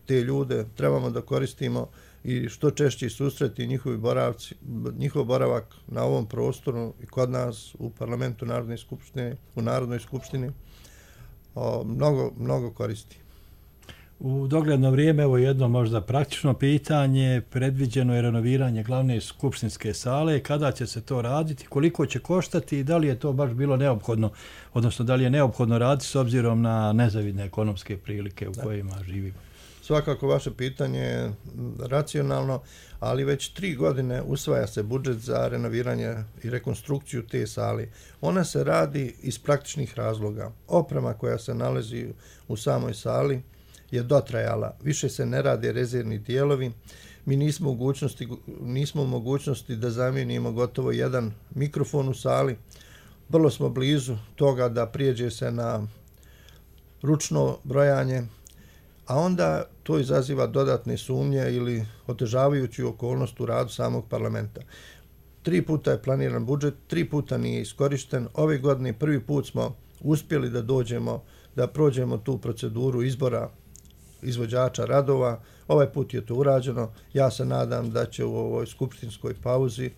te ljude trebamo da koristimo i što češće susreti njihov boravak na ovom prostoru i kod nas u parlamentu Narodnoj skupštini mnogo koristi. U dogledno vrijeme, evo jedno možda praktično pitanje, predviđeno je renoviranje glavne skupštinske sale, kada će se to raditi, koliko će koštati i da li je to baš bilo neophodno, odnosno da li je neophodno raditi s obzirom na nezavidne ekonomske prilike u kojima živimo? Svakako vaše pitanje je racionalno, ali već 3 godine usvaja se budžet za renoviranje i rekonstrukciju te sale. Ona se radi iz praktičnih razloga. Oprema koja se nalazi u samoj sali je dotrajala. Više se ne rade rezervni dijelovi. Mi nismo u mogućnosti da zamijenimo gotovo jedan mikrofon u sali. Vrlo smo blizu toga da prijeđe se na ručno brojanje, a onda to izaziva dodatne sumnje ili otežavajuću okolnost u radu samog parlamenta. 3 puta je planiran budžet, 3 puta nije iskorišten. Ove godine prvi put smo uspjeli da prođemo tu proceduru izbora izvođača radova. Ovaj put je to urađeno. Ja se nadam da će u ovoj skupštinskoj pauzi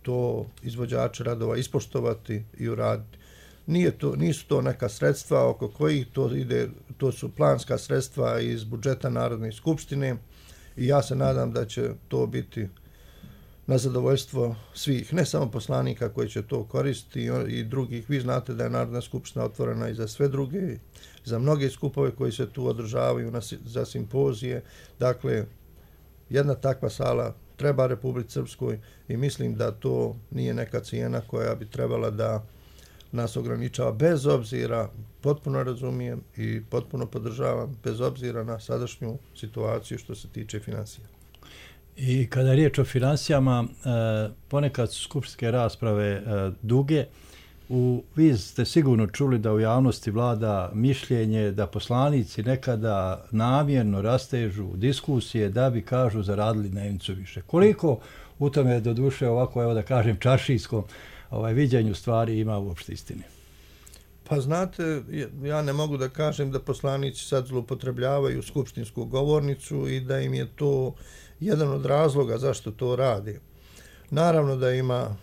to izvođači radova ispoštovati i uraditi. Nisu to neka sredstva oko kojih to ide, to su planska sredstva iz budžeta Narodne skupštine i ja se nadam da će to biti na zadovoljstvo svih, ne samo poslanika koji će to koristiti i drugih. Vi znate da je Narodna skupština otvorena i za sve druge, za mnoge skupove koji se tu održavaju, za simpozije. Dakle, jedna takva sala treba Republici Srpskoj i mislim da to nije neka cijena koja bi trebala da nas ograničava, bez obzira, potpuno razumijem i potpuno podržavam, bez obzira na sadašnju situaciju što se tiče financija. I kada je riječ o financijama, ponekad su skupštinske rasprave duge. Vi ste sigurno čuli da u javnosti vlada mišljenje da poslanici nekada namjerno rastežu diskusije da bi, kažu, zaradili dnevnicu više. Koliko u tome doduše ovako, evo da kažem, čaršijskom viđenju stvari ima uopšte istine? Pa znate, ja ne mogu da kažem da poslanici sad zloupotrebljavaju skupštinsku govornicu i da im je to jedan od razloga zašto to radi. Naravno da ima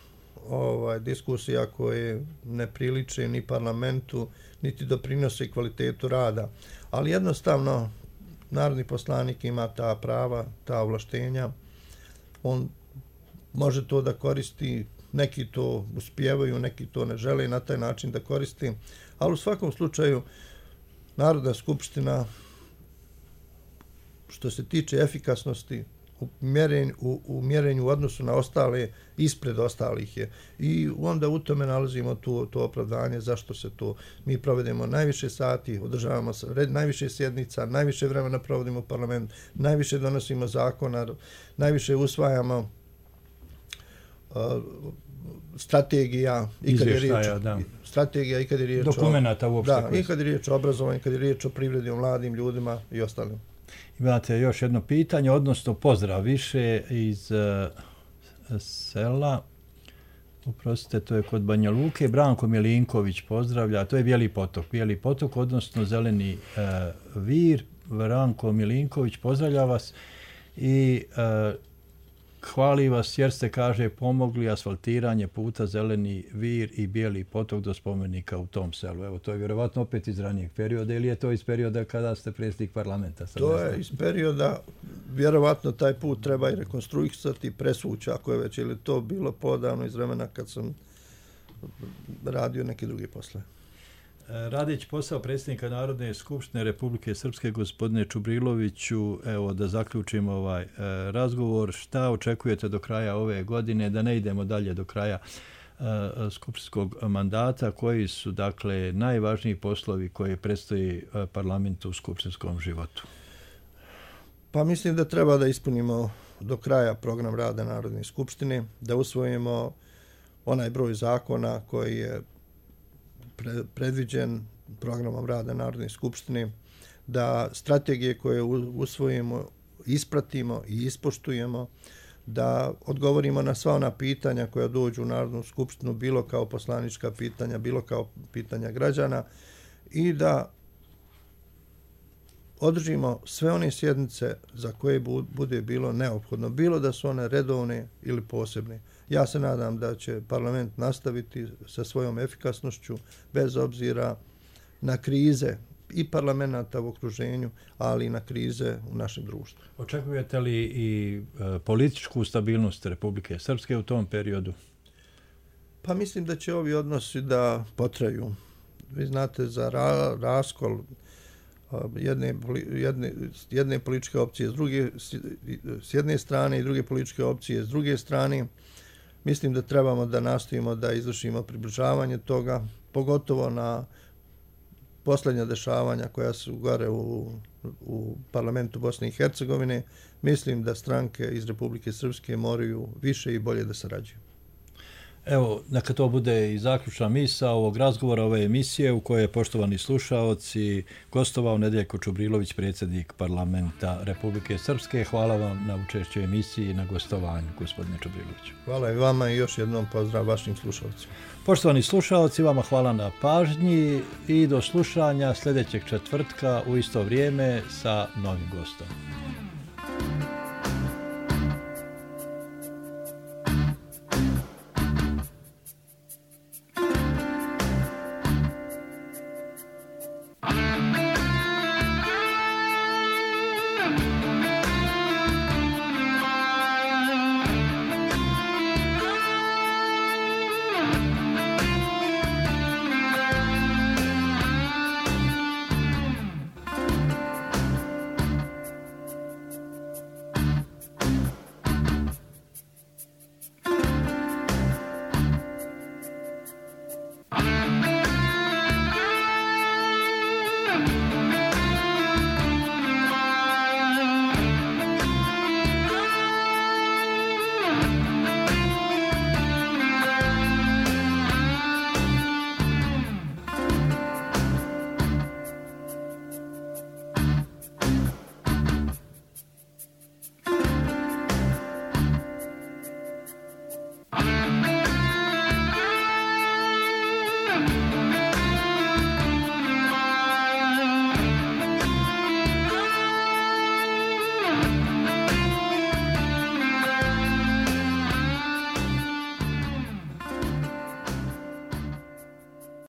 diskusija koje ne priliče ni parlamentu, niti doprinose kvalitetu rada, ali jednostavno narodni poslanik ima ta prava, ta ovlaštenja, on može to da koristi. Neki to uspijevaju, neki to ne žele na taj način da koristi, ali u svakom slučaju Narodna skupština, što se tiče efikasnosti u mjerenju u odnosu na ostale, ispred ostalih je. I onda u tome nalazimo to opravdanje zašto se to. Mi provedemo najviše sati, održavamo najviše sjednica, najviše vremena provodimo u parlamentu, najviše donosimo zakona, najviše usvajamo strategija i kad je riječ dokumenata uopšte. Da, i kad je riječ o obrazovanju, kad je riječ o privredi, o mladim ljudima i ostalim. Imate još jedno pitanje, odnosno pozdrav više iz sela, oprostite, to je kod Banja Luke, Branko Milinković pozdravlja, to je Bijeli potok, odnosno Zeleni vir. Branko Milinković pozdravlja vas i hvali vas jer ste, kaže, pomogli asfaltiranje puta Zeleni vir i Bijeli potok do spomenika u tom selu. Evo, to je vjerovatno opet iz ranijeg perioda ili je to iz perioda kada ste predsjednik parlamenta? To je iz perioda, vjerovatno taj put treba i rekonstruisati, presvući ako je već, ili to bilo podavno iz vremena kad sam radio neke druge posle. Radeći posao predsjednika Narodne skupštine Republike Srpske, gospodine Čubriloviću, evo da zaključimo ovaj razgovor, šta očekujete do kraja ove godine, da ne idemo dalje do kraja skupštinskog mandata, koji su, dakle, najvažniji poslovi koji predstoji parlamentu u skupštinskom životu? Pa mislim da treba da ispunimo do kraja program rada Narodne skupštine, da usvojimo onaj broj zakona koji je predviđen programom rada Narodne skupštine, da strategije koje usvojimo ispratimo i ispoštujemo, da odgovorimo na sva ona pitanja koja dođu u Narodnu skupštinu, bilo kao poslanička pitanja, bilo kao pitanja građana, i da održimo sve one sjednice za koje bude bilo neophodno, bilo da su one redovne ili posebne. Ja se nadam da će parlament nastaviti sa svojom efikasnošću bez obzira na krize i parlamenta u okruženju, ali i na krize u našem društvu. Očekujete li i političku stabilnost Republike Srpske u tom periodu? Pa mislim da će ovi odnosi da potraju. Vi znate, za raskol jedne političke opcije s jedne strane i druge političke opcije s druge strane, mislim da trebamo da nastojimo da izvršimo približavanje toga, pogotovo na posljednja dešavanja koja su gore u parlamentu Bosne i Hercegovine. Mislim da stranke iz Republike Srpske moraju više i bolje da sarađuju. Evo, neka to bude i zaključna misao ovog razgovora, ove emisije u kojoj je, poštovani slušaoci, gostovao Nedeljko Čubrilović, predsjednik parlamenta Republike Srpske. Hvala vam na učešću emisiji i na gostovanju, gospodine Čubriloviću. Hvala i vama i još jednom pozdrav vašim slušalcima. Poštovani slušaoci, vama hvala na pažnji i do slušanja sljedećeg četvrtka u isto vrijeme sa novim gostom.